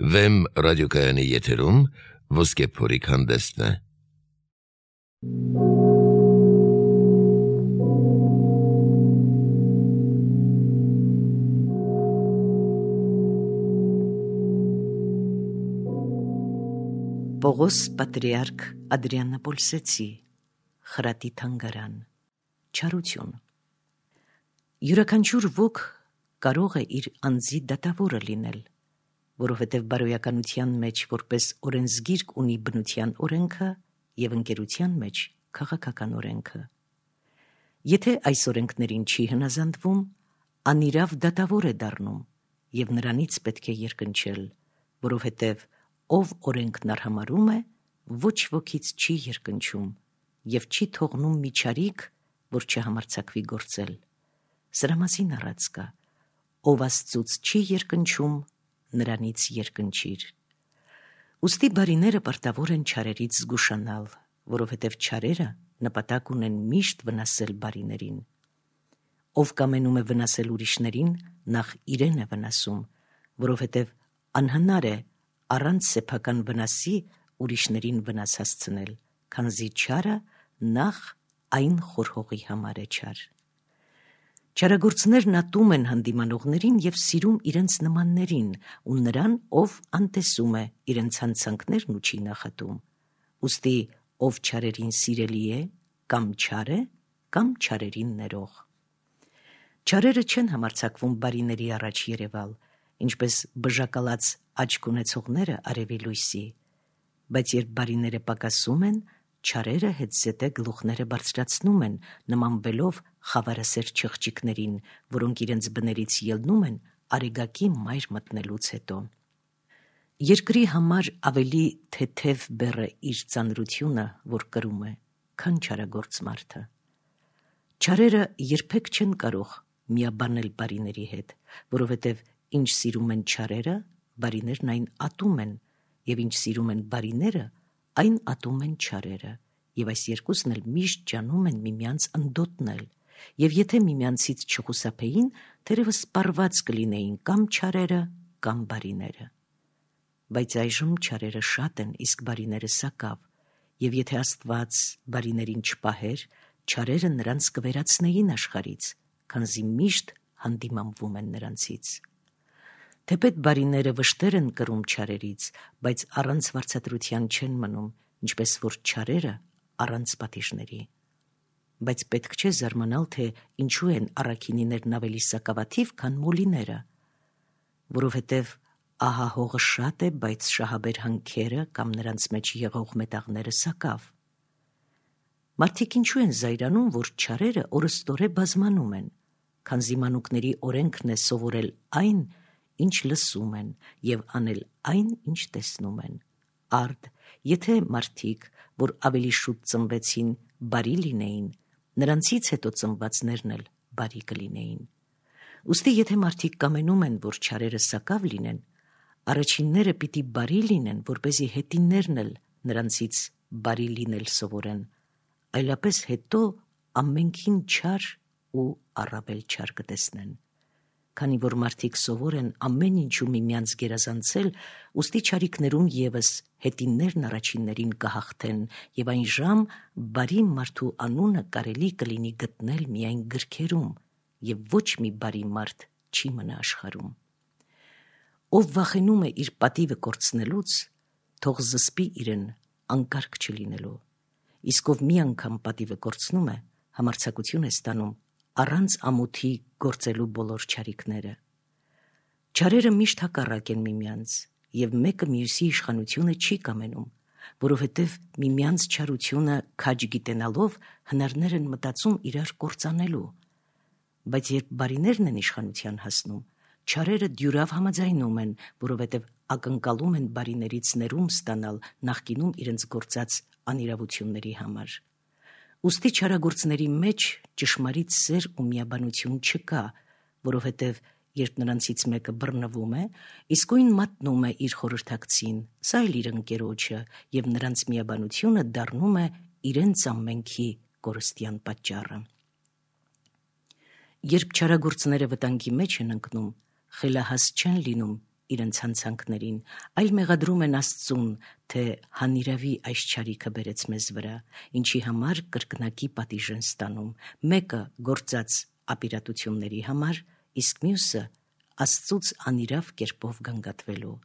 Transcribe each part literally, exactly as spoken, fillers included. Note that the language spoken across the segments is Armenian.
Վեմ ռադիոկայանի եթերում ոսկե փորիկ հանդեսն է։ Պողոս պատրիարք Ադրիանապոլսեցի, խրատի թանգարան, չարություն։ Յուրաքանչյուր ոք կարող է իր անձի դատավորը լինել, որովհետև բարոյականության մեջ որպես օրենսգիրք ունի բնության օրենքը և ընկերության մեջ քաղաքական օրենքը։ Եթե այս օրենքներին չի հնազանդվում, անիրավ դատավոր է դառնում և նրանից պետք է երկնչել, որովհետև ով օրենքն արհամարհում է, ոչ ոքից չի երկնչում և չի թողնում մի չարիք, որ չհամարձակվի գործել։ Սրա մասին առած կա. ով Աստծուց չի երկնչում, նրանից երկնչիր։ Ուստի բարիները պարտավոր են չարերից զգուշանալ, որովհետև չարերը նպատակ ունեն միշտ վնասել բարիներին։ Ով կամենում է վնասել ուրիշներին, նախ իրեն է վնասում, որովհետև անհնար է առանց սեփական վնասի ուրիշներին վնաս հասցնել, քանզի չարը նախ այն խորհողի համար է չար։ Չարագործներն ատում են հանդիմանողներին և սիրում իրենց նմաններին ու նրան, ով անտեսում է իրենց հանցանքներն ու չի նախատում։ Ուստի ով չարերին սիրելի է, կամ չար է, կամ չարերին ներող։ Չարերը չեն համարձակվում բարիների առաջ երևալ, ինչպես բժակալած աչք ունեցողները արևի լույսի, բայց երբ բարիները պակասում են, չարերը հետզհետե գլուխները բարձրացնում են, նմանվելով խավարասեր չղջիկներին, որոնք իրենց բներից ելնում են արեգակի մայր մտնելուց հետո։ Երկրի համար ավելի թեթև բեռ է իր ծանրությունը, որ կրում է, քան չարագործ մարդը։ Չարերը երբեք չեն կարող միաբանել բարիների հետ, որովհետև ինչ սիրում են չարերը, բարիներն այն ատում են, և ինչ սիրում են բարիները, այն ատում են չարերը, և այս երկուսն էլ միշտ ջանում են միմյանց ընդոտնել, և եթե միմյանցից չխուսափեին, թերևս սպառված կլինեին կամ չարերը, կամ բարիները։ Բայց այժմ չարերը շատ են, իսկ բարիները սակավ, և եթե Աստված բարիներին չպահեր, չարերը նրանց կվերացնեին աշխարհից, քանզի միշտ հանդիմանվում են նրանցից։ Թեպետ բարիները վշտեր են կրում չարերից, բայց առանց վարձատրության չեն մնում, ինչպես որ չարերը առանց պատիժների։ Բայց պետք չէ զարմանալ, թե ինչու են առաքինիներն ավելի սակավաթիվ, քան մոլիները, որովհետև ահահողը շատ է, բայց շահաբեր հանքերը կամ նրանց մեջ եղող մետաղները սակավ։ Մարդիկ ինչու են զայրանում, որ չարերը օրըստօրե բազմանում են, քանզի մանուկների օրենքն է սովորել այն, ինչ լսում են, և անել այն, ինչ տեսնում են։ Արդ, եթե մարդիկ, որ ավելի շուտ ծնվեցին, բարի լինեին, նրանցից հետո ծնվածներն էլ բարի կլինեին։ Ուստի եթե մարդիկ կամենում են, որ չարերը սակավ լինեն, առաջինները պիտի բարի լինեն, որպեսզի հետիններն էլ նրանցից բարի լինել սովորեն, այլապես հետո ամենքին չար ու առավել չար կտեսնեն։ Քանի որ մարդիկ սովոր են ամեն ինչու միմյանց գերազանցել, ուստի չարիքներում ևս հետիններն առաջիններին կհաղթեն, և այն ժամ բարի մարդու անունը կարելի կլինի գտնել միայն գրքերում, և ոչ մի բարի մարդ չի մնա աշխարհում։ Ով վախենում է իր պատիվը կորցնելուց, թող զսպի իրեն անկարգ չլինելու, իսկ ով մի անգամ պատիվը կորցնում է, համարձակություն է ստանում առանց ամոթի գործելու բոլոր չարիքները։ Չարերը միշտ հակառակ են միմյանց, և մեկը մյուսի իշխանությունը չի կամենում, որովհետև միմյանց չարությունը քաջ գիտենալով հնարներ են մտածում իրար կործանելու։ Բայց երբ բարիներն են իշխանության հասնում, չարերը դյուրավ համաձայնում են, որովհետև ակնկալում են բարիներից ներում ստանալ նախկինում իրենց գործած անիրավությունների համար։ Ուստի չարագործների մեջ ճշմարիտ սեր ու միաբանություն չկա, որովհետև երբ նրանցից մեկը բռնվում է, իսկույն մատնում է իր խորհրդակցին, սա էլ իր ընկերոջը, և նրանց միաբանությունը դառնում է իրենց ամենքի կորստյան պատճառը։ Երբ չարագործները վտանգի մեջ են ընկնում, խելահաս չեն լինում իրենց հանցանքներին, այլ մեղադրում են Աստծուն, թե հանիրավի այս չարիքը բերեց մեզ վրա, ինչի համար կրկնակի պատիժ են ստանում, մեկը գործած ապիրատությունների համար, իսկ մյուսը Աստծուց անիրավ կերպով գանգատվելու։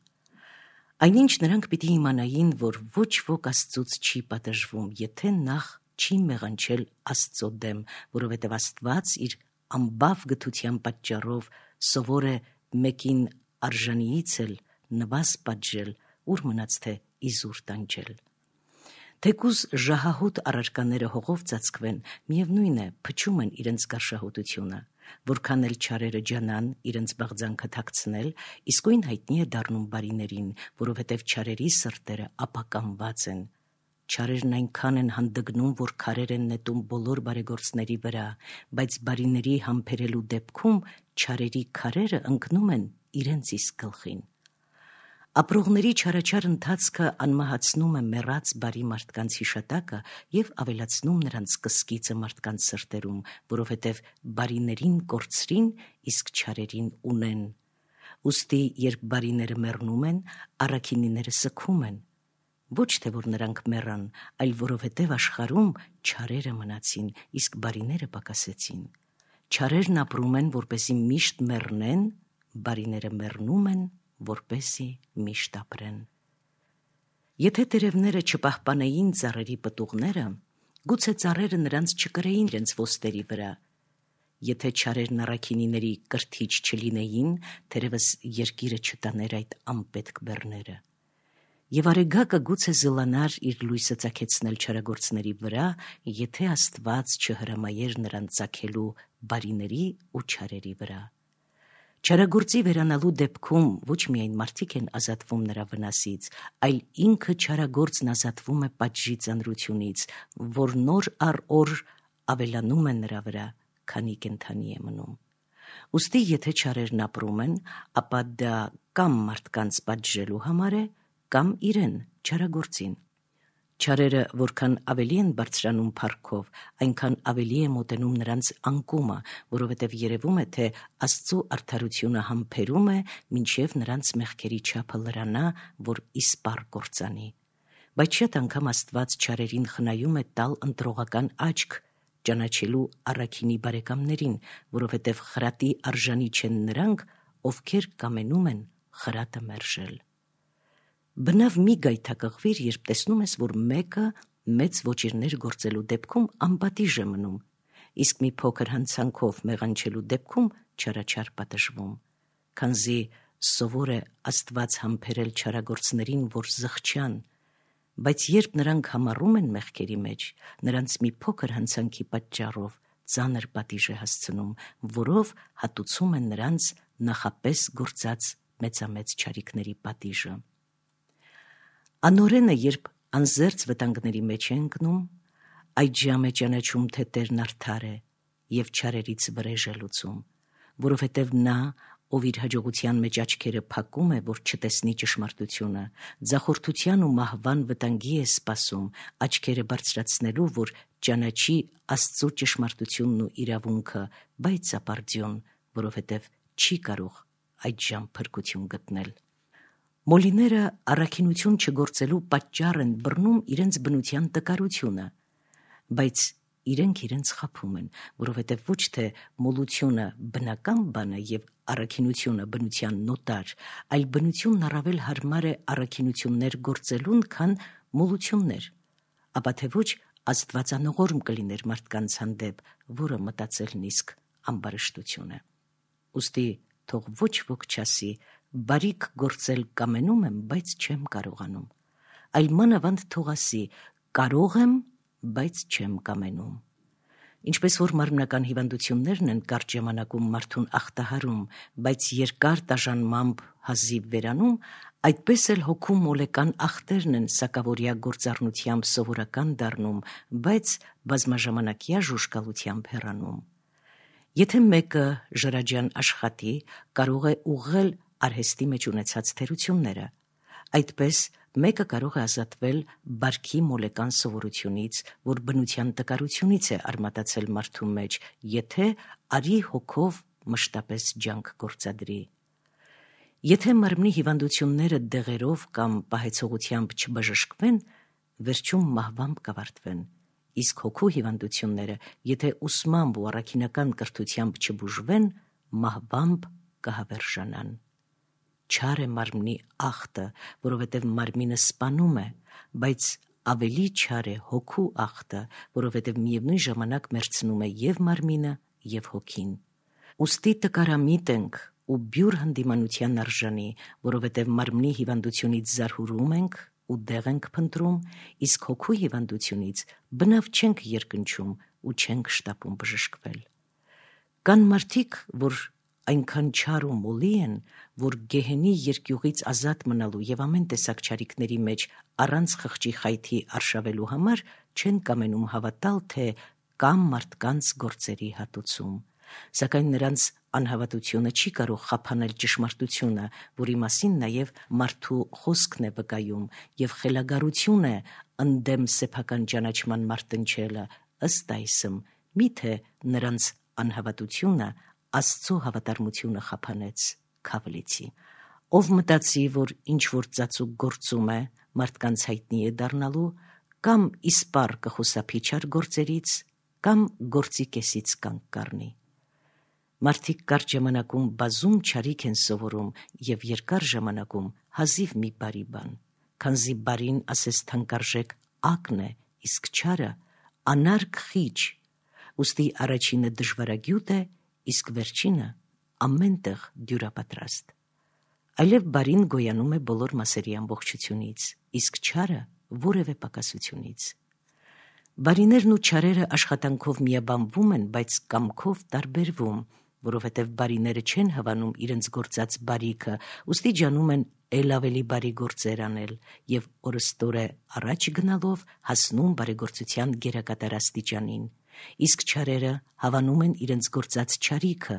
Այնինչ նրանք պիտի իմանային, որ ոչ ոք Աստծուց չի պատժվում, եթե նախ չի մեղանչել Աստծո դեմ, որովհետև Աստված իր ամբավ գթության պատճառով սովոր է մեկին արժանիից էլ նվազ պատժել, ուր մնաց թե իզուր տանջել։ Թեկուզ ժահահոտ առարկաները հողով ծածկվեն, միևնույն է, փչում են իրենց գարշահոտությունը, որքան էլ չարերը ջանան իրենց բաղձանքը թաքցնել, իսկույն հայտնի է դառնում բարիներին, որովհետև չարերի սրտերը ապականված են։ Չարերն այնքան են հանդգնում, որ քարեր են նետում բոլոր բարեգործների վրա, բայց բարիների համբերելու դեպքում չարերի քարերը ընկնում են իրենց իսկ գլխին։ Ապրողների չարաչար ընթացքը անմահացնում է մեռած բարի մարդկանց հիշատակը և ավելացնում նրանց կսկիծը մարդկանց սրտերում, որովհետև բարիներին կորցրին, իսկ չարերին ունեն։ Ուստի երբ բարիները մեռնում են, առաքինիները սգում են, ոչ թե որ նրանք մեռան, այլ որովհետև աշխարհում չարերը մնացին, իսկ բարիները պակասեցին։ Չարերն ապրում են, որպեսզի միշտ մեռնեն, բարիները մեռնում են, որպեսզի միշտ ապրեն։ Եթե տերևները չպահպանեին ծառերի պտուղները, գուցե ծառերը նրանց չկրեին իրենց ոստերի վրա։ Եթե չարերն առաքինիների կրթիչ չլինեին, թերևս երկիրը չտաներ այդ անպետք բեռները։ Եվ արեգակը գուցե զլանար իր լույսը ծագեցնել չարագործների վրա, եթե Աստված չհրամայեր նրան ծագելու բարիների ու չարերի վրա։ Չարագործի վերանալու դեպքում ոչ միայն մարդիկ են ազատվում նրա վնասից, այլ ինքը չարագործն ազատվում է պատժի ծանրությունից, որ նոր առ օր ավելանում է նրա վրա, քանի կենդանի է մնում։ Ուստի եթե չարերն ապրում են, ապա դա կամ մարդկանց պատժելու համար է, կամ իրեն չարագործին։ Չարերը որքան ավելի են բարձրանում փառքով, այնքան ավելի է մոտենում նրանց անկումը, որովհետև երևում է, թե Աստծու արդարությունը համբերում է, մինչև նրանց մեղքերի չափը լրանա, որ իսպառ կործանի։ Բայց շատ անգամ Աստված չարերին խնայում է տալ ընտրողական աչք, ճանաչելու առաքինի բարեկամներին, որովհետև խրատի արժանի չեն նրանք, ովքեր կամենում են խրատը մերժել։ Բնավ մի գայթակղվիր, երբ տեսնում ես, որ մեկը մեծ ոճիրներ գործելու դեպքում անպատիժ է մնում, իսկ մի փոքր հանցանքով մեղանչելու դեպքում չարաչար պատժվում, քանզի սովոր է Աստված համբերել չարագործներին, որ զղջան, բայց երբ նրանք համառում են մեղքերի մեջ, նրանց մի փոքր հանցանքի պատճառով ծանր պատիժ է հասցնում, որով հատուցում են նրանց նախապես գործած մեծամեծ չարիքների պատիժը։ Անօրենը, երբ անզերծ վտանգների մեջ է ընկնում, այդ ժամ է ճանաչում, թե Տերն արդար է և չարերից վրեժ է լուծում, որովհետև նա, ով իր հաջողության մեջ աչքերը փակում է, որ չտեսնի ճշմարտությունը, ձախորդության ու մահվան վտանգի է սպասում, աչքերը բարձրացնելու, որ ճանաչի Աստծու ճշմարտությունն ու իրավունքը, բայց ապարդյուն, որովհետև չի կարող այդ ժամ փրկություն գտնել։ Մոլիները առաքինություն չգործելու պատճառ են բռնում իրենց բնության տկարությունը, բայց իրենք իրենց խաբում են, որովհետև ոչ թե մոլությունը բնական բան է և առաքինությունը բնության նոտար, այլ բնությունն առավել հարմար է առաքինություններ գործելուն, քան մոլություններ, ապա թե ոչ աստվածանողորմ կլիներ մարդկանց հանդեպ, որը մտածելն իսկ ամբարշտություն է։ Ուստի թող ոչ ոք չասի, բարիք գործել կամենում եմ, բայց չեմ կարողանում, այլ մանավանդ թող ասի, կարող եմ, բայց չեմ կամենում։ Ինչպես որ մարմնական հիվանդություններն են կարճ ժամանակում մարդուն ախտահարում, բայց երկար տաժանմամբ հազիվ վերանում, այդպես էլ հոգու մոլեկան ախտերն են սակավորյա գործառնությամբ սովորական դառնում, բայց բազմաժամանակյա ժուժկալությամբ հեռանում։ Եթե մեկը ժրաջան աշխատի, կարող է ուղղել արհեստի մեջ ունեցած թերությունները, այդպես մեկը կարող է ազատվել բարքի մոլեկան սովորությունից, որ բնության տկարությունից է արմատացել մարդու մեջ, եթե արի հոգով մշտապես ջանք գործադրի։ Եթե մարմնի հիվանդությունները դեղերով կամ պահեցողությամբ չբժշկվեն, վերջում մահվամբ կավարտվեն, իսկ հոգու հիվանդությունները, եթե ուսմամբ ու առաքինական կրթությամբ չբուժվեն, մահվամբ կհավերժանան։ Չար է մարմնի ախտը, որովհետև մարմինը սպանում է, բայց ավելի չար է հոգու ախտը, որովհետև միևնույն ժամանակ մեռցնում է և մարմինը, և հոգին։ Ուստի տկարամիտ ենք ու բյուր հանդիմանության արժանի, որովհետև մարմնի հիվանդությունից զարհուրում ենք ու դեղ ենք փնտրում, իսկ հոգու հիվանդությունից բնավ չենք երկնչում ու չենք շտապում բժշկվել։ Կան մարդիկ, որ այնքան չար ու մոլի են, որ գեհենի երկյուղից ազատ մնալու և ամեն տեսակ չարիքների մեջ առանց խղճի խայթի արշավելու համար չեն կամենում հավատալ, թե կամ մարդկանց գործերի հատուցում, սակայն նրանց անհավատությունը չի կարող խափանել ճշմարտությունը, որի մասին նաև մարդու խոսքն է վկայում, և խելագարություն է ընդդեմ սեփական ճանաչման մարտնչելը, ըստ այսմ, միթե նրանց անհավատությունը Աստծո հավատարմությունը խափանեց, քավլիցի։ Ով մտածի, որ ինչ-որ ծածուկ գործում է, մարդկանց հայտնի է դառնալու, կամ իսպառ կխուսափի չար գործերից, կամ գործի կեսից կանգ կառնի։ Մարդիկ կարճ ժամանակում բազում չարիք են սովորում և երկար ժամանակում հազիվ մի բարի բան, քանզի բարին ասես թանկարժեք ակն է, իսկ չարը անարգ խիչ, ուստի առաջինը դժվարագյուտ է, իսկ վերջինը ամենտեղ դյուրապատրաստ։ Այլև բարին գոյանում է բոլոր մասերի ամբողջությունից, իսկ չարը որևէ պակասությունից։ Բարիներն ու չարերը աշխատանքով միաբանվում են, բայց կամքով տարբերվում, որովհետև բարիները չեն հավանում իրենց գործած բարիքը, ուստի ջանում են էլ ավելի բարի գործեր անել և օրըստօրե առաջ գնալով հասնում բարեգործության գերակատար աստիճանին, իսկ չարերը հավանում են իրենց գործած չարիքը,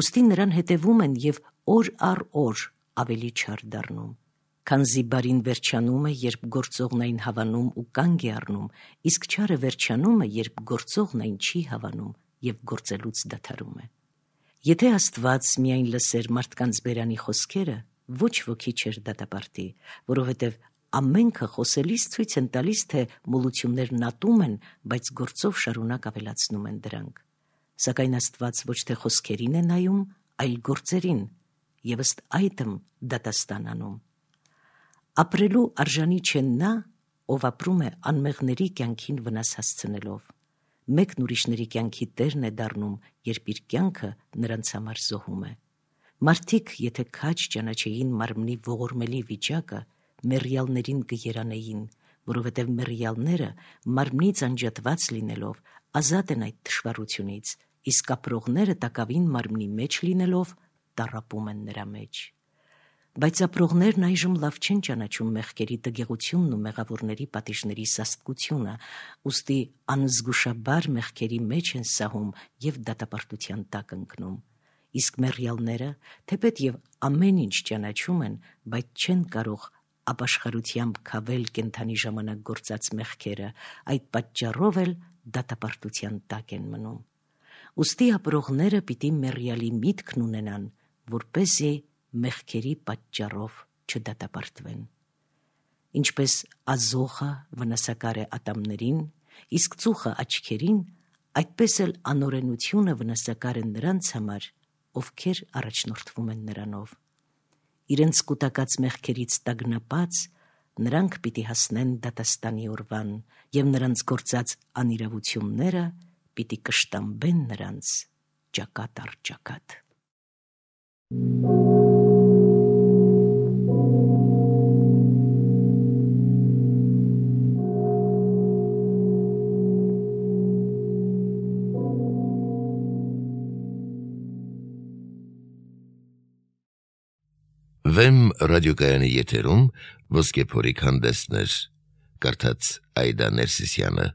ուստի նրան հետևում են և օր առ օր ավելի չար դառնում։ Քանզի բարին վերջանում է, երբ գործողն այն հավանում ու կանգ է առնում, իսկ չարը վերջանում է, երբ գործողն այն չի հավանում և գործելուց դադարում է։ Եթե Աստված միայն լսեր մարդկանց բերանի խոսքերը, ոչ ոքի չէր դատապարտի, որովհետև ամենքը խոսելիս ցույց են տալիս, թե մոլություններն ատում են, բայց գործով շարունակ ավելացնում են դրանք։ Սակայն Աստված ոչ թե խոսքերին է նայում, այլ գործերին, և ըստ այդմ դատաստան անում։ Ապրելու արժանի չէ նա, ով ապրում է անմեղների կյանքին վնաս հասցնելով։ Մեկն ուրիշների կյանքի տերն է դառնում, երբ իր կյանքը նրանց համար զոհում է։ Մարդիկ, եթե քաջ ճանաչեին մարմնի ողորմելի վիճակը, մեռյալներին կերանեին, որովհետև մեռյալները մարմնից անջատված լինելով ազատ են այդ թշվառությունից, իսկ ապրողները տակավին մարմնի մեջ լինելով տառապում են նրա մեջ։ Բայց ապրողներն այժմ լավ չեն ճանաչում մեղքերի տգեղությունն ու մեղավորների պատիժների սաստկությունը, ուստի անզգուշաբար մեղքերի մեջ են սահում և դատապարտության տակ ընկնում։ Իսկ մեռյալները, թեպետ և ամեն ինչ ճանաչում են, բայց չեն կարող ապաշխարությամբ քավել կենդանի ժամանակ գործած մեղքերը, այդ պատճառով էլ դատապարտության տակ են մնում։ Ուստի ապրողները պիտի մեռյալի միտքն ունենան, որպեսզի մեղքերի պատճառով չդատապարտվեն։ Ինչպես ազոխը վնասակար է ատամներին, իսկ ծուխը աչքերին, այդպես էլ անօրենությունը վնասակար է նրանց համար, ովքեր առաջնորդվում են նրանով։ Իրենց կուտակած մեղքերից տագնապած, նրանք պիտի հասնեն դատաստանի օրվան, և նրանց գործած անիրավությունները պիտի կշտամբեն նրանց ճակատ առ ճակատ։ Վեմ ռադիոկայանի եթերում ոսկե փորիկ հանդեսներ, կարդաց Այդա Ներսիսյանը։